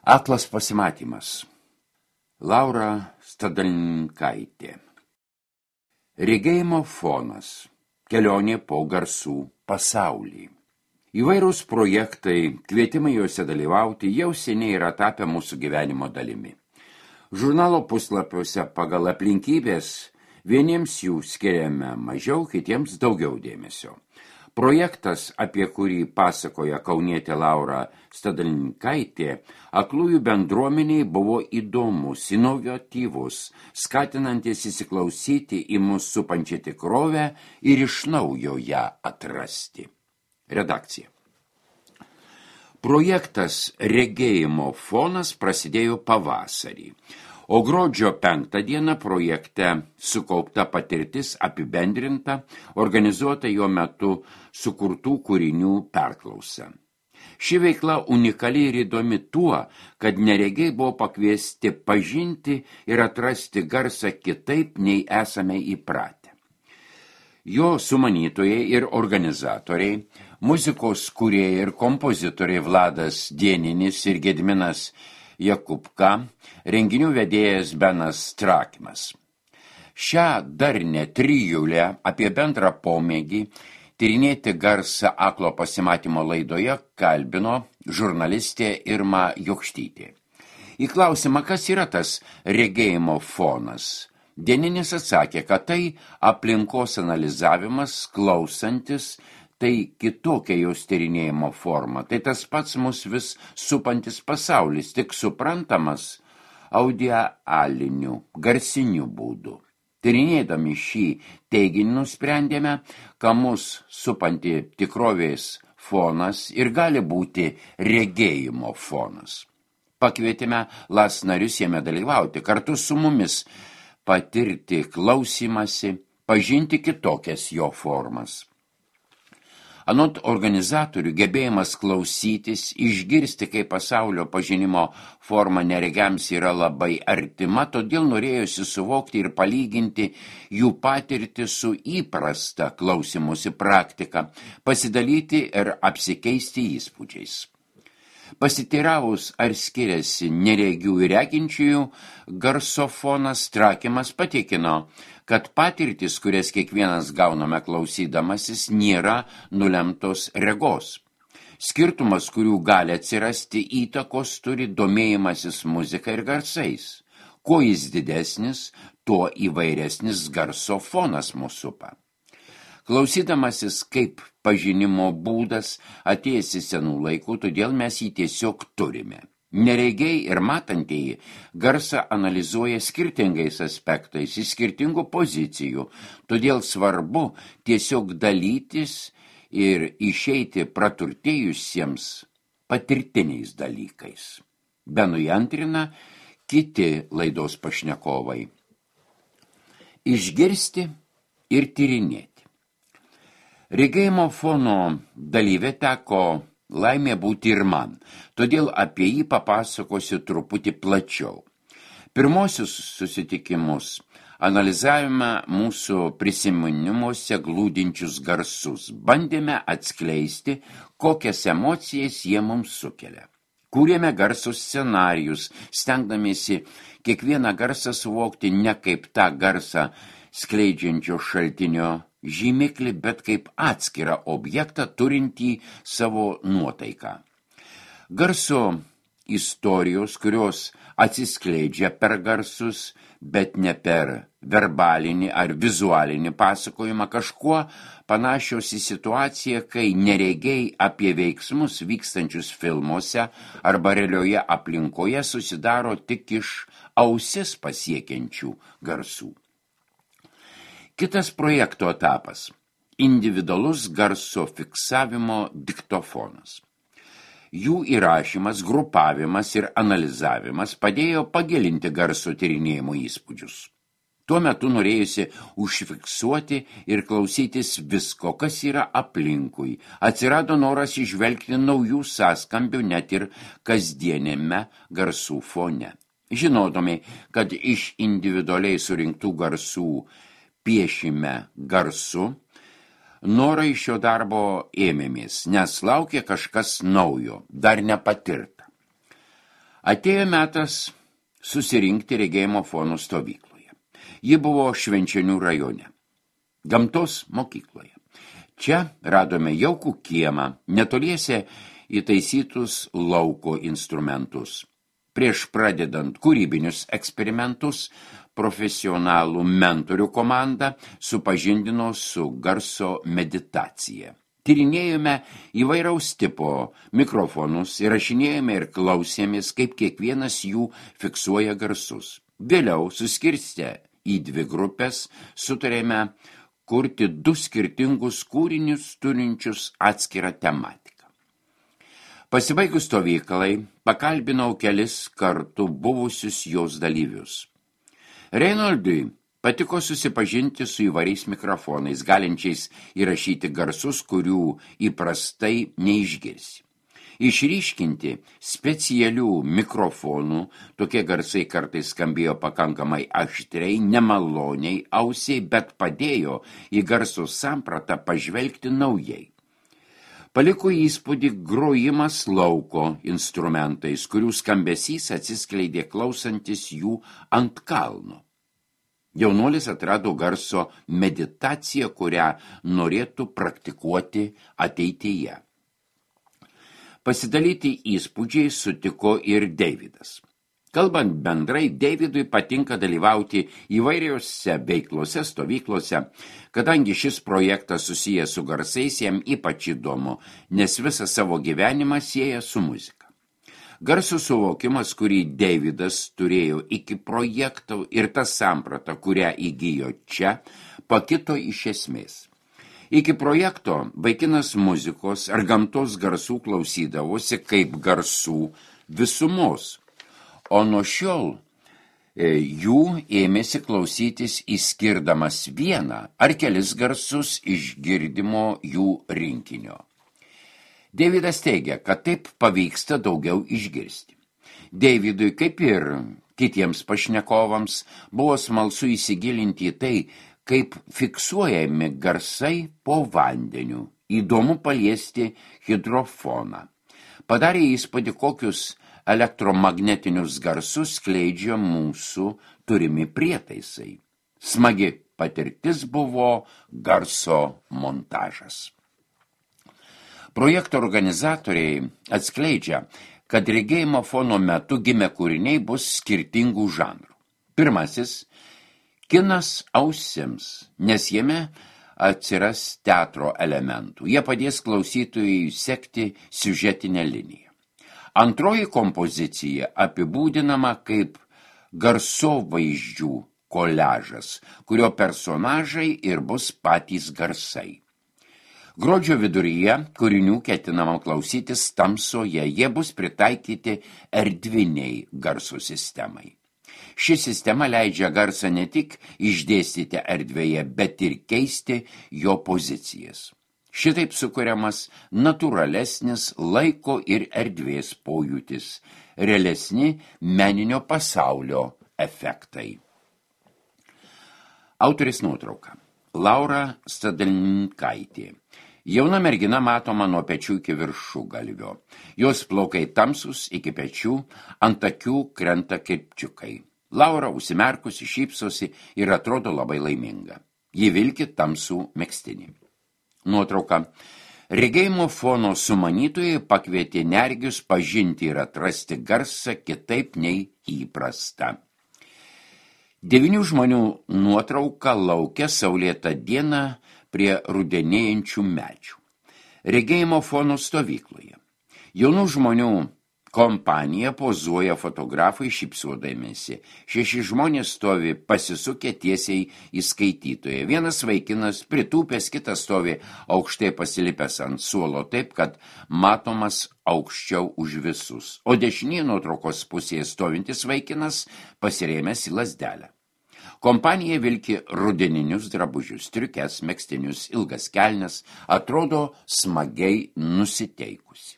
Aklas pasimatymas. Laura Stadalinkaitė. Regėjimo fonas. Kelionė po garsų pasaulį. Įvairūs projektai, kvietimai juose dalyvauti jau seniai yra tapę mūsų gyvenimo dalimi. Žurnalo puslapiuose pagal aplinkybės vieniems jų skiriame mažiau, kitiems daugiau dėmesio. Projektas, apie kurį pasakoja kaunietė Laura Stadalinkaitė, aklųjų bendruomeniai buvo įdomus, inovatyvus, skatinantis įsiklausyti į mus supančią tikrovę ir iš naujo ją atrasti. Redakcija. Projektas Regėjimo fonas prasidėjo pavasarį, o gruodžio 5 dieną projekte sukaupta patirtis apibendrinta, organizuota jo metu sukurtų kūrinių perklausa. Ši veikla unikali ir įdomi tuo, kad neregiai buvo pakviesti pažinti ir atrasti garsą kitaip, nei esame įpratę. Jo sumanytojai ir organizatoriai, muzikos kūrėjai ir kompozitoriai Vladas Dieninis ir Gediminas Jakubka, renginių vedėjas Benas Trakimas. Šią darnę trijulę apie bendrą pomėgį tyrinėti garsą aklo pasimatymo laidoje kalbino žurnalistė Irma Jokštytė. Į klausimą, kas yra tas regėjimo fonas, Dieninis atsakė, kad tai aplinkos analizavimas, klausantis, tai kitokia jos tyrinėjimo forma, tai tas pats mus vis supantis pasaulis, tik suprantamas audialiniu, garsiniu būdu. Tyrinėdami šį teiginį nusprendėme, kad mus supanti tikrovės fonas ir gali būti regėjimo fonas. Pakvietėme LAS narius jame dalyvauti, kartu su mumis patirti klausymasi, pažinti kitokias jo formas. Anot organizatorių gebėjimas klausytis, išgirsti, kaip pasaulio pažinimo forma neregiams yra labai artima, todėl norėjosi suvokti ir palyginti jų patirtį su įprasta klausymosi praktika, pasidalyti ir apsikeisti įspūdžiais. Pasiteiravus, ar skiriasi neregių ir reginčiųjų, garsofonas Trakimas patikino, kad patirtis, kurias kiekvienas gauname klausydamasis, nėra nulemtos regos. Skirtumas, kurių gali atsirasti įtakos, turi domėjimasis muzika ir garsais. Kuo jis didesnis, tuo įvairesnis garsofonas mūsų supa. Klausydamasis kaip pažinimo būdas atėjęs į senų laikų, todėl mes jį tiesiog turime. Neregiai ir matantieji garsą analizuoja skirtingais aspektais, iš skirtingų pozicijų, todėl svarbu tiesiog dalytis ir išeiti praturtėjusiems patirtiniais dalykais. Benui antrina kiti laidos pašnekovai. Išgirsti ir tyrinėti. Regėjimo fono dalyvė teko laimė būti ir man, todėl apie jį papasakosiu truputį plačiau. Pirmosius susitikimus analizavome mūsų prisiminimuose glūdinčius garsus, bandėme atskleisti, kokias emocijas jie mums sukelia. Kūrėme garsus scenarijus, stengdamiesi kiekvieną garsą suvokti ne kaip tą garsą skleidžiančio šaltinio žymiklį, bet kaip atskirą objektą turintį savo nuotaiką. Garso istorijos, kurios atsiskleidžia per garsus, bet ne per verbalinį ar vizualinį pasakojimą, kažkuo panašios į situaciją, kai neregiai apie veiksmus vykstančius filmuose arba realioje aplinkoje susidaro tik iš ausis pasiekiančių garsų. Kitas projekto etapas – individualus garso fiksavimo diktofonas. Jų įrašymas, grupavimas ir analizavimas padėjo pagilinti garso tyrinėjimo įspūdžius. Tuo metu norėjusi užfiksuoti ir klausytis visko, kas yra aplinkui. Atsirado noras įžvelgti naujų sąskambių net ir kasdienėme garsų fone. Žinodami, kad iš individualiai surinktų garsų piešime garsu, norą iš šio darbo ėmėmės, nes laukė kažkas naujo, dar nepatirta. Atėjo metas susirinkti regėjimo fono stovykloje. Ji buvo Švenčionių rajone, gamtos mokykloje. Čia radome jaukų kiemą, netoliese įtaisytus lauko instrumentus. Prieš pradedant kūrybinius eksperimentus, profesionalų mentorių komanda supažindino su garso meditacija. Tyrinėjome įvairaus tipo mikrofonus, įrašinėjome ir klausėmės, kaip kiekvienas jų fiksuoja garsus. Vėliau, suskirstę į 2 grupės, sutarėme kurti 2 skirtingus kūrinius turinčius atskirą tematiką. Pasibaigus stovyklai, pakalbinau kelis kartų buvusius jos dalyvius. Reinoldui patiko susipažinti su įvairiais mikrofonais, galinčiais įrašyti garsus, kurių įprastai neišgirsi. Išryškinti specialių mikrofonų, tokie garsai kartais skambėjo pakankamai aštriai, nemaloniai ausiai, bet padėjo į garso sampratą pažvelgti naujai. Paliko įspūdį grojimas lauko instrumentais, kurių skambesys atsiskleidė klausantis jų ant kalno. Jaunuolis atrado garso meditaciją, kurią norėtų praktikuoti ateityje. Pasidalyti įspūdžiai sutiko ir Deividas. Kalbant bendrai, Deividui patinka dalyvauti įvairiose veiklose, stovyklose, kadangi šis projektas susijęs su garsais, jam ypač įdomu, nes visą savo gyvenimą sieja su muzika. Garso suvokimas, kurį Deividas turėjo iki projekto ir ta samprata, kurią įgijo čia, pakito iš esmės. Iki projekto vaikinas muzikos ar gamtos garsų klausydavosi kaip garsų visumos, o nuo šiol jų ėmėsi klausytis įskirdamas vieną ar kelis garsus iš girdimo jų rinkinio. Deividas teigia, kad taip pavyksta daugiau išgirsti. Deividui, kaip ir kitiems pašnekovams, buvo smalsu įsigilinti į tai, kaip fiksuojami garsai po vandeniu. Įdomu paliesti hidrofoną. Padarė įspūdį, kokius elektromagnetinius garsus skleidžia mūsų turimi prietaisai. Smagi patirtis buvo garso montažas. Projekto organizatoriai atskleidžia, kad regėjimo fono metu gimę kūriniai bus skirtingų žanrų. Pirmasis – kinas ausims, nes jame atsiras teatro elementų. Jie padės klausytojui sekti siužetinę liniją. Antroji kompozicija apibūdinama kaip garsovaizdžių koliažas, kurio personažai ir bus patys garsai. Gruodžio viduryje kūrinių ketinama klausytis tamsoje, jie bus pritaikyti erdviniai garso sistemai. Ši sistema leidžia garsą ne tik išdėstyti erdvėje, bet ir keisti jo pozicijas. Šitaip sukuriamas natūralesnis laiko ir erdvės pojūtis, realesni meninio pasaulio efektai. Autorės nuotrauka. Laura Stadalinkaitė. Jauna mergina matoma nuo pečių iki viršugalvio. Jos plaukai tamsus iki pečių, ant akių krenta kirpčiukai. Laura užsimerkusi šypsosi ir atrodo labai laiminga. Ji vilki tamsų megztinį. Nuotrauka. Regėjimo fono sumanytojai pakvietė neregius pažinti ir atrasti garsą kitaip nei įprasta. 9 žmonių nuotrauka lauke saulėtą dieną prie rudenėjančių medžių. Regėjimo fono stovykloje. Jaunų žmonių kompanija pozuoja fotografai šypsodamiesi. 6 žmonės stovi pasisukę tiesiai į skaitytoją. Vienas vaikinas pritūpęs, kitas stovi aukštai pasilipęs ant suolo taip, kad matomas aukščiau už visus. O dešinėje nuotraukos pusėje stovintis vaikinas pasirėmęs į lazdelę. Kompanija vilki rudeninius drabužius, striukes, megztinius, ilgas kelnes, atrodo smagiai nusiteikusi.